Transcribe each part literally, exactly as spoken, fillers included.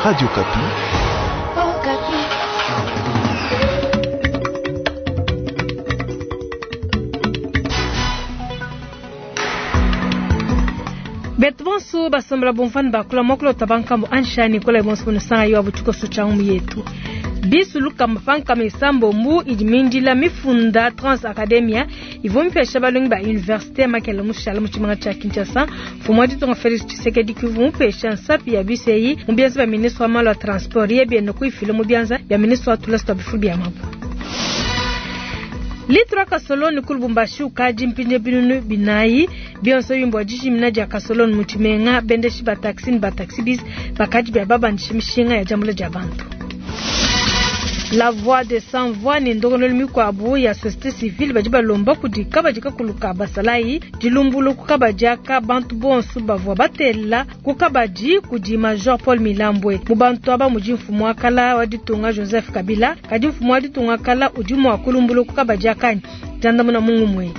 Radio Okapi. Betu bonso basombela bomvani bakula mokolo tabankambo anshani kola bonso bunusanga yo abutuko changu yetu bisu lukama pankama isambombu idi mindila mifunda Trans Academia ivua mipesha balongi ba université makela mushala mu tshimanga tshia Kinshasa mfumu wa ditunga Felix Tshisekedi kuvua mupesha nsapi ya bisi eyi mu bianza bia ministre wa malu a transport ye bienda kuifila mu bianza bia ministre wa tulasa tua bifulu bia mabua. Litra kasoloni ku Lubumbashi ukadi mpinje binunu binayi bionso bimbo dijimina dia kasoloni mu tshimenga bendeshi ba taxi ne ba taxi bis bakadi bia babandisha mishinga ya diambula dia bantu. La voix des sans voix ni ndongololo mikuabu ya société civile badi balomba kudi kabadi kakulu ka basalayi dilumbulu ku kabadi aka bantu bonso bavua batela ku kabadi kudi Major Paul Milambwe mu bantu aba mudi mfumu wa kala wa ditunga Joseph Kabila kadi mfumu wa ditunga kala udi mua kulumbulu ku kabadi akanyi diandamuna mungu mwe.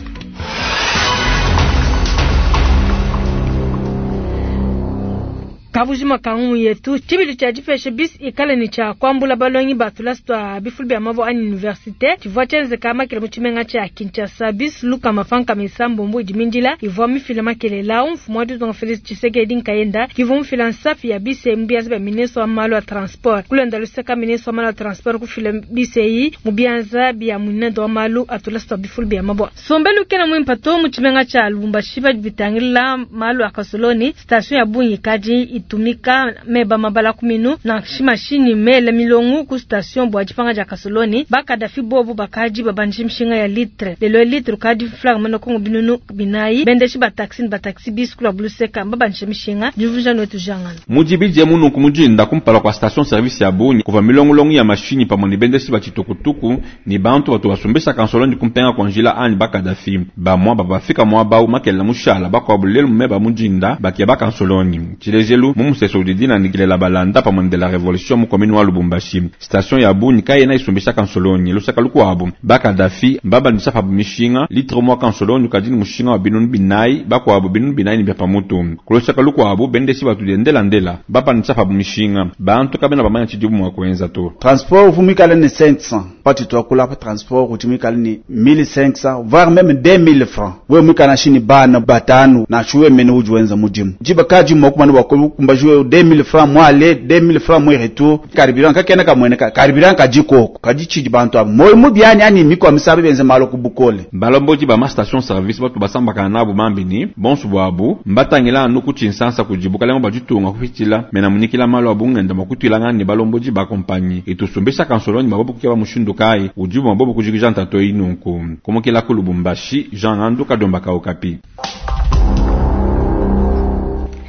Kabujima kangu yetu chibili cha dipeshe bis ikale ni cha kwambula balongi batula tua bifulu bya mabo ani université chivwa chenze kama kile muchimenga cha Kinshasa bis luka mafanka misambo idimindila ivwa mifila makelela umfumu wa ditunga Felix Tshisekedi nkayenda kivwa mfila nsafi ya bis mbianza bya ministre wa malu ya transport kulenda luseka ministre wa malu ya transport kufila bis eyi mubianza bya munendo wa malu atula tua bifulu bya mabo sombelu kena mwimpato muchimenga cha Lubumbashi bitangila malu akasoloni station ya Bunyi kadi tumika meba mabala kuminu na shimashini mele milongu ku station bwa jipanga ja kasoloni bakadafi bobu bakaji babanje mshinga ya litre lelo litre kadi flag mano kongo binunu binayi bendeshi ba taxi ba taxi bis kula bluseka babanje mshinga juvuja nwetu jangana mujibije munu kumujinda kumpala kwa station service ya Bunyi kuva milongolongo ya mashini pamwe ni bendeshi ba chitukutuku ni bantu batu basumbisha kansoloni kumpenga kwa njila ani bakadafi bamwa babafika mwa bau makela mushala bakwa bulelu meba mujinda bakia bakansoloni chilejelu mumuseso udidina nikilela balanda pamwe de la révolution mu commune wa Lubumbashi station ya Bunyi kayena isumbisha kansoloni lusaka lukwabo bakadafi mbabandisha pabu mishinga litre mwa kansoloni kadini mushinga wa binunu binayi bakwabo binunu binayi ni bya pamutu kulusaka lukwabo bendesi batu ndela ndela babandisha pabu mishinga bantu kabena bamanya chidibu mwa kuenza to transport vumikale ni cinq cents pati twakula pa transport utimikale ni mille cinq cents voire même deux mille francs we mwikana shini bana batanu na chuwe mene ujuenza mudimu jiba kaji mokumani wakumba jouer deux mille francs moi aller deux mille francs moi retour carburant kakena kamwene carburant kajikoko kajichiji bantu abo moyo mubyani ani miko misabe benze malo kubukole balomboji ba ma station service batu basambaka nabo mambini bonsu bwabu mbatangila anu kuchinsansa kujibuka lengo bajitunga kufichila mena munikila malo abungenda makutwilanga ni balomboji ba compagnie itusumbisha kansoloni mabobo kukeba mushindu kai ujibu mabobo kujikija ntato inunku kumukila ku Lubumbashi Jean Andu Kadomba ka Okapi.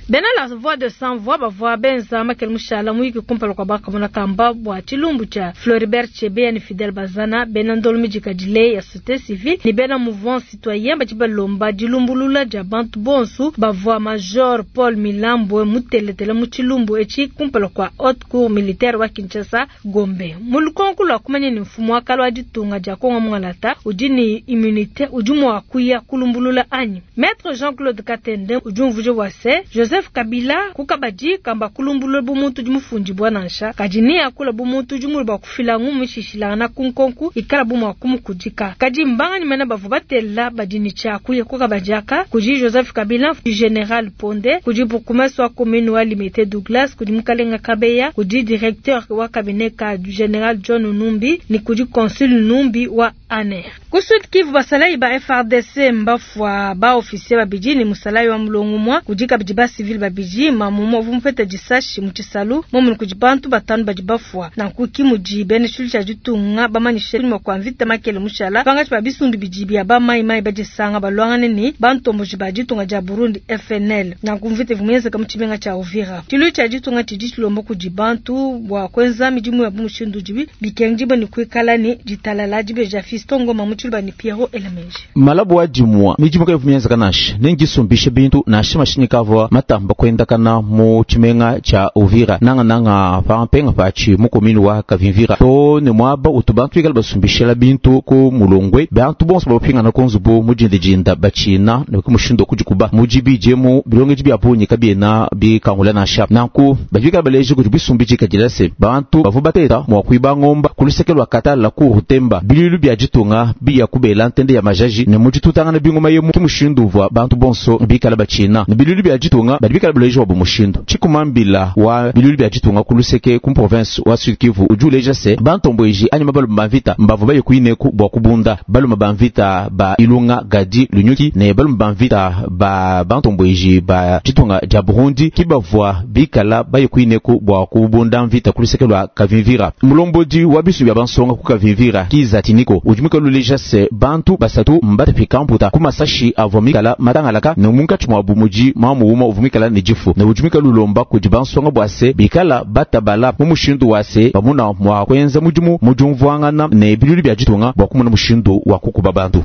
Bena la voix de sans voix bavua benza makele mushala muyiki kumpala kwa bakamona kamba bua tshilumbu tshia Floribert Chebeya ni Fidel Bazana bena ndolo mijika dile ya société civile ni bena mouvement citoyen badi balomba dilumbulula dia bantu bonsu bavua Major Paul Milambwe muteletele mu tshilumbu etshi kumpala kwa haute cour militaire wa Kinshasa Gombe mulukonku lua kumanya ni mfumu wa kala wa ditunga dia Kongo Mungalata udi ni immunité udi mua kuya kulumbulula anyi Maître Jean-Claude Katende udi umvuja bua se Joseph Kabila kukabadi kamba kulumbulula bumuntu dimufundi bwa nansha kadi ni akula bumuntu dimulu bwa kufila ngumishishilana kunkonku ikala bumwa kumukudika kadi mbanga nimena bavu batela badini cha kuye kukabadiaka kudi Joseph Kabila General Ponde kudi bourgmestre wa commune wa Limete Douglas kudi Mukalenga Kabeya kudi directeur wa cabinet ka du General John Numbi ni kudi consul Numbi wa A N R ku Sud Kivu basalayi ba F R D C mbafwa ba officier babidi ni musalayi wa mulongo mwa kudi kabidi ba civil babidi mamumo vumpeta disashi mu tshisalu momu kudi bantu batanu badi bafwa nanku mudi bene tshulu tshia ditunga bamanyishe mwa kwa mvita makele mushala pangatshi ba bisumbi bidi bia ba mai mai badisanga balwangane ni bantomboji ba ditunga dia Burundi F N L nanku mvita vumuyenzeka mu tshimenga tshia Uvira tshulu tshia ditunga tshidi tshilombo kudi bantu bua kwenza midimu ya bumushindu dibi bikengi ni kuikala ni ditalala dibeja Fiston Ngoma mu tshulu ba ni Pierrot Elemenji malabu wa dimwa midimu ka vumuyenzeka nashe nengisumbishe bintu nashe mashinyi kavwa mata butamba kwendakana mu tshimenga tsha Uvira nanga nanga pa mpenga pachi mu commune wa Kavimvira to ne mwaba utu bantu bikala basumbishela bintu ku mulongwe bantu bonso bapingana ku nzubu mujindijinda bachina ne ku mushindo kujikuba mujibijemu bilongeji bya bunyi kabiena bikangula nasha nanku bajikala baleji kuti bisumbiji kadila se bantu bavu bateta mwa kuiba ngomba kulusekelo katala ku rutemba bililu bya jitunga biya kubela ntende ya majaji ne mujitutangana bingoma yemu ki mushindu uvwa bantu bonso bikala bachina ne bilulu bya jitunga bali bikala baleji wa bumushindu chikumambila wa bilulu bya jitunga kuluseke ku province wa Sud Kivu ujuleja se bantombweji anyima balu bamvita mbavu baye kuineku bwa kubunda balu mabamvita ba Ilunga Gadi Lunyuki ne balu mabamvita ba bantombweji ba jitunga ja Burundi kibavwa bikala baye kuineku bwa kubunda mvita kuluseke lwa Kavimvira mulombodi wa bisu bya bansonga ku Kavimvira kiza tiniko ujumika luleja se bantu basatu mbata pikamputa kumasashi avomikala matangalaka ne munkachi mwa bumuji mamu uma uvumikala ne jifu ne ujumika lulomba kudi bansonga bwase bikala batabala mu mushindu wase bamuna mwa kwenza mudimu mujumvwangana ne bilulu bya jitunga bwa kumuna mushindu wa kukuba bantu.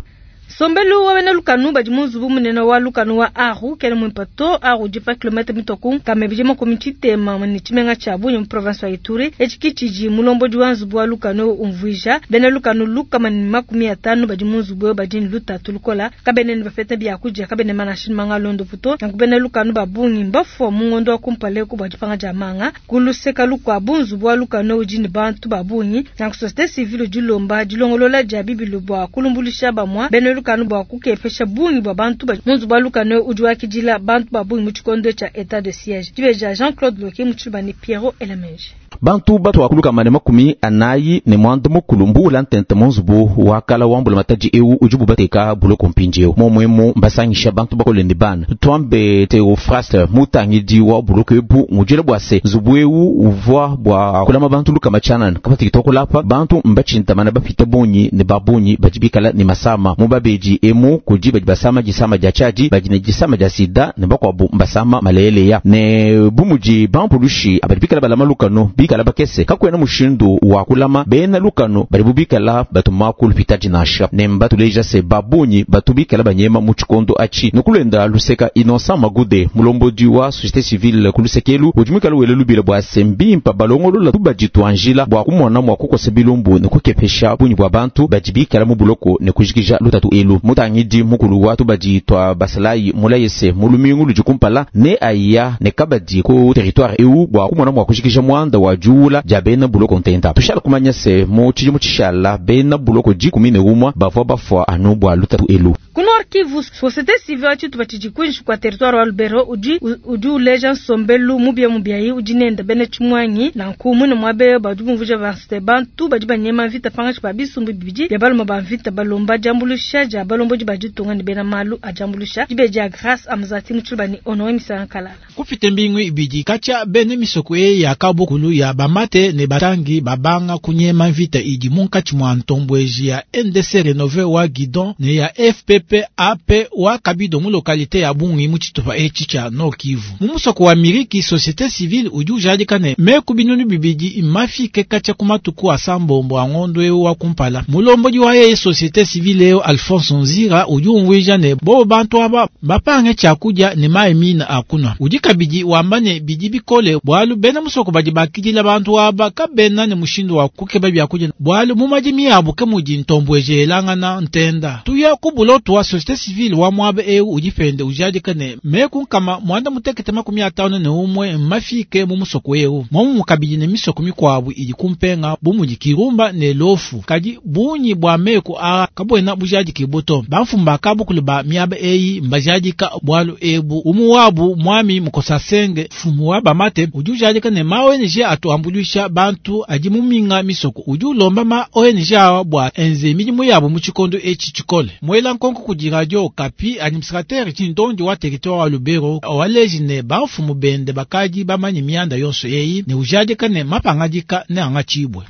Sombelu wa bena lukanu badi mu nzubu munene wa lukanu wa Aru kele mwimpato Aru dipa kilomètre mitoku kamebije makumi tshitema ne tshimenga tshia Bunia mu province wa Ituri etshi kitshidi mulombodi wa nzubu wa lukanu umvuija bena lukanu lukama ne makumi atanu badi mu nzubu badi ne lutatu lukola kabene ne bapeta biakudia kabene manashini manga londo puto nanku bena lukanu babungi mbafua mu ngondo wa kumpala ku bua dipanga dia manga kuluseka lukwabu nzubu wa lukanu udi ne bantu babungi nanku société civile dilomba dilongolola dia bibilu bua kulumbulisha bamwa bena lukanu bua kukepesha bungi bua bantu ba munzu bua lukanu udi wakidila bantu ba bungi mu tshikondo tsha état de siège dibeja Jean-Claude Loki mu tshibani Pierrot Elamenji. Bantu batu akuluka mane makumi anayi ne mwanda mukulu mbula ntente munzubu wakala wambula mataji ewu ujubu bateka buloko mpindieu momwemu mbasangisha bantu bakole ne bana twambe Theophraste mutangidi wa buloko ebu mujile bwase nzubu ewu uvwa bwa kulama bantu lukama tshanana kapati kitokolapa bantu mbachintamana bapita bunyi ne babunyi bajibikala ne masama mubabeji emu kudi badi basama jisama ja chaji badi ne jisama ja sida ne bakwabu mbasama maleleya ne bumuji bampulushi abadibikala balama lukano bikala bakese kakwena mushindu wa kulama bena lukano bali bubikala batuma kulupita jinasha ne mbatuleja se babunyi batubikala banyema mu tshikondo achi nukulenda luseka Innocent Magude mulombodi wa société civile kulusekelu ujumikala wele lubila bwa sembimpa balongolola tubajitwanjila bwa kumona mwa kukosa bilumbu ne kukepesha bunyi bwa bantu bajibikala mu buloko ne kujikija lutatu elu mutangidi mukulu wa tubajitwa basalayi mulayese mulumingu lujikumpala ne aya ne kabadi ku territoire eu bwa kumona mwa kujikija mwanda wa juula ja bena buloko ntenta tushala kumanya se mu tshidimu tshishala bena buloko dikumi ne umwa bavua bafua anu bua lutatu elu. Ku Nord Kivu, société civile wa tshitupa tshidi kuinshi kua territoire wa Lubero udi udi uleja nsombelu mubia mubiayi udi nenda bena tshimwangi nanku mune mwabe badi bumvuja vaste bantu badi banyema mvita pangashi pa bisumbu bibidi bia baluma ba mvita balomba diambulusha dia balombodi ba ditunga ne bena malu a diambulusha dibe dia Grâce Amzati mu tshilubani Honore Misanga Kalala. Kupita mbingu ibidi kacha bene misoko e ya kabukulu ya bamate ne batangi babanga kunyema mvita idi munkatshi mwa ntombweji ya N D C Renove wa Guidon ne ya F P P A P wa Kabido mu lokalite ya Bungi mu tshitupa etshi tsha Nord Kivu. Mu musoko wa Miriki, société civile udi ujadika ne meku binunu bibidi mafike kacha ku matuku asambombo a ngondo eu wa kumpala. Mulombodi wa ye société civile eo Alphonse Nzira udi umvuija ne bo bantu aba bapange tshiakudia ne mayi mina akunwa. Udi kabidi wamba ne bidi bikole bwalu bena musoko badi bakidila bantu aba kabena ne mushindu wa kukeba byakudia bwalu mu madimi yabo ke mudi ntombweje elangana ntenda. Tuya ku buloto wa société civile wa mwabe eu udipende ujadika ne meku nkama mwanda mutekete makumi atano ne umwe mafike mu musoko eu momu mukabidi ne misoko mikwabu idi kumpenga bumudi kirumba ne lofu kadi bunyi bwa meku a kabwena bujadiki buto bamfumba kabukulu ba miaba eyi mbajadika bwalu ebu umu wabu mwami mukosasenge fumu wa bamate udi ujadika ne ma O N G atuambulisha bantu adi muminga misoko udi ulomba ma O N G awa bwa enze midimu yabo mu tshikondo etshi tshikole mwela nkonko kudi radio Okapi administrateur tshindondi wa territoire wa Lubero waleji ne bamfumu bende bakadi bamanyi mianda yonso eyi ne ujadika ne mapangadika ne angatshibwe.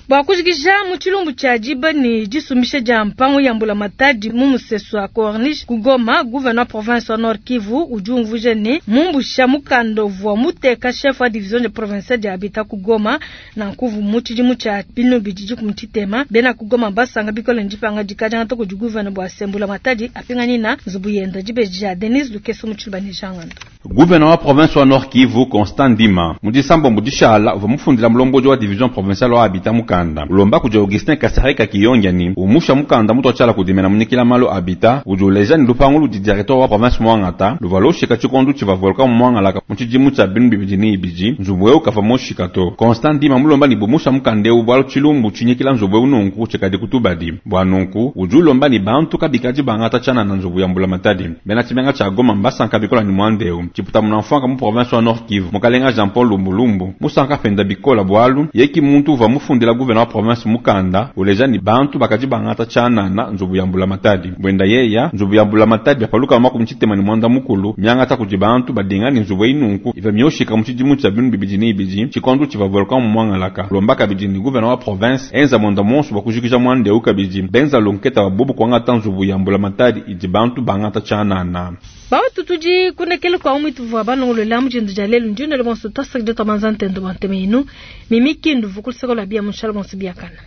Bua kujikija mu tshilumbu tshia diba ne disumbisha dia mpangu ya mbulamatadi mu musesu wa Corniche ku Goma, gouverneur province wa Nord Kivu udi umvuija ne mumbusha mukanda uvua muteka chef wa division de provinciale dia habitat ku Goma nanku mu tshidimu tshia binu bidi dikumi tshitema bena ku Goma basanga bikole ndipanga dikadiangata kudi gouverneur bua se mbulamatadi apinganyina nzubu yenda dibeji dia Denise Lukeso mu tshiluba ne Jean Ngando. Gouverneur wa province wa Nord Kivu Constant Ndima mu disambo dishala uvua mufundila mulombodi wa division provinciale wa habitat mukanda ulomba kudi Augustin Kasereka Kiyongiani umusha mukanda mutu atshala kudimena munyikila malu habitat udi uleja ni lupangu ludi directeur wa province mwangata luvua loshika tshikondu tshiva volcan mwangalaka mu tshidimu tshia binu bibidi ni ibidi nzubu eu kava moshika to. Constant Ndima mulomba ni bumusha mukanda eu bwalu tshilumbu tshinyikila nzubu eu nunku tshikadi kutubadi bwa nunku udi ulomba ni bantu kabikadi bangata tshiana na nzubu ya mbulamatadi bena tshimenga tshia Goma mbasanka bikola ni mwanda eu tshiputa munamfwanga mu province wa Nord Kivu mukalenga Jean Paul Lumbulumbu musanka penda bikola bwalu yeki muntu uva mufundila gouverneur wa province mukanda uleja ni bantu bakadi bangata tshianana nzubu ya mbulamatadi bwenda yeya nzubu ya mbulamatadi byapaluka makumi tshitema ni mwanda mukulu miangata kudi bantu badinga ni nzubu inunku iva mioshika mu tshidimu tshia binu bibidi ni ibidi tshikondu tshiva volcan mu mwangalaka lomba kabidi ni gouverneur wa province enza mwanda monso bwa mwanda eu kabidi benza lonketa wa bubu kwangata nzubu ya mbulamatadi idi bantu bangata tshianana. Bawatu tudi kunekele kwa umwitu vwa balongolola mujindu dia lelu ndiyo nele bonso twasakide twamanza ntendo bwa nteme inu mimi kindu vukuluseko lwa bia munshala bonso biakana.